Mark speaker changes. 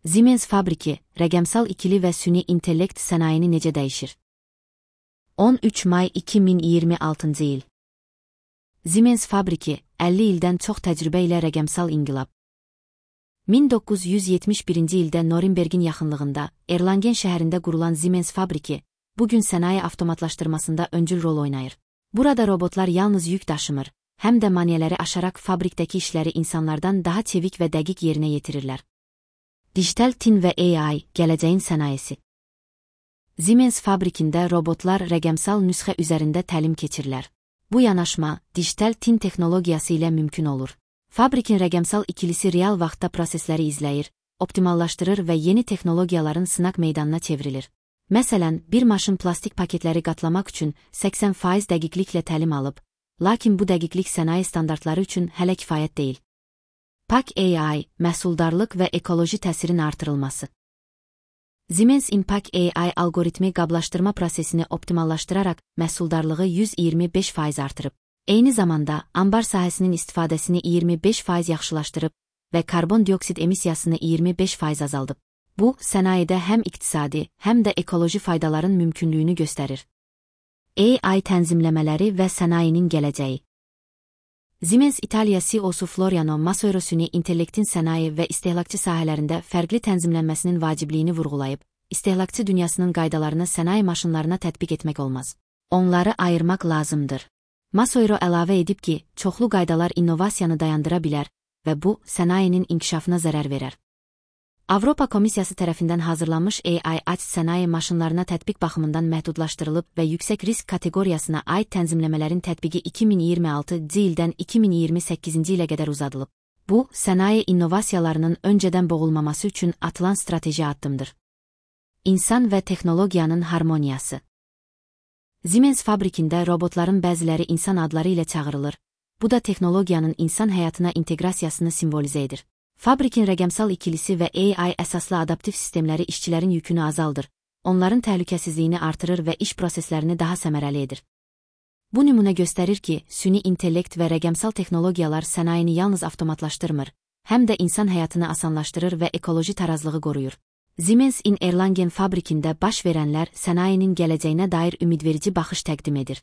Speaker 1: Siemens fabriki, rəqəmsal ikili və süni intellekt sənayeni necə dəyişir? 13 may 2026-cı il. Siemens fabriki, 50 ildən çox təcrübə ilə rəqəmsal inqilab. 1971-ci ildə Norimbergin yaxınlığında, Erlangen şəhərində qurulan Siemens fabriki, bugün sənaye avtomatlaşdırmasında öncül rol oynayır. Burada robotlar yalnız yük daşımır, həm də maneələri aşaraq fabrikdəki işləri insanlardan daha çevik və dəqiq yerinə yetirirlər. Dijital tin və AI, gələcəyin sənayesi. Siemens fabrikində robotlar rəqəmsal nüsxə üzərində təlim keçirlər. Bu yanaşma, dijital tin texnologiyası ilə mümkün olur. Fabrikin rəqəmsal ikilisi real vaxtda prosesləri izləyir, optimallaşdırır və yeni texnologiyaların sınaq meydanına çevrilir. Məsələn, bir maşın plastik paketləri qatlamaq üçün 80% dəqiqliklə təlim alıb, lakin bu dəqiqlik sənaye standartları üçün hələ kifayət deyil. Pak AI, məhsuldarlıq və ekoloji təsirin artırılması. Siemens Impact AI algoritmi qablaşdırma prosesini optimallaşdıraraq məhsuldarlığı 125% artırıb. Eyni zamanda, ambar sahəsinin istifadəsini 25% yaxşılaşdırıb və karbon dioksid emissiyasını 25% azaldıb. Bu, sənayedə həm iqtisadi, həm də ekoloji faydaların mümkünlüyünü göstərir. AI tənzimləmələri və sənayenin gələcəyi. Siemens İtaliya CEO-su Floriano Massoiro süni intellektin sənaye və istehlakçı sahələrində fərqli tənzimlənməsinin vacibliyini vurğulayıb, istehlakçı dünyasının qaydalarını sənaye maşınlarına tətbiq etmək olmaz. Onları ayırmaq lazımdır. Massoiro əlavə edib ki, çoxlu qaydalar innovasiyanı dayandıra bilər və bu, sənayenin inkişafına zərər verər. Avropa Komissiyası tərəfindən hazırlanmış AI aç sənaye maşınlarına tətbiq baxımından məhdudlaşdırılıb və yüksək risk kateqoriyasına aid tənzimləmələrin tətbiqi 2026-cı ildən 2028-ci ilə qədər uzadılıb. Bu, sənaye innovasiyalarının öncədən boğulmaması üçün atılan strateji addımdır. İnsan və texnologiyanın harmoniyası. Siemens fabrikində robotların bəziləri insan adları ilə çağırılır. Bu da texnologiyanın insan həyatına inteqrasiyasını simvolizə edir. Fabrikin rəqəmsal ikilisi və AI əsaslı adaptiv sistemləri işçilərin yükünü azaldır, onların təhlükəsizliyini artırır və iş proseslərini daha səmərəli edir. Bu nümunə göstərir ki, süni intellekt və rəqəmsal texnologiyalar sənayeni yalnız avtomatlaşdırmır, həm də insan həyatını asanlaşdırır və ekoloji tarazlığı qoruyur. Siemens in Erlangen fabrikində baş verənlər sənayenin gələcəyinə dair ümidverici baxış təqdim edir.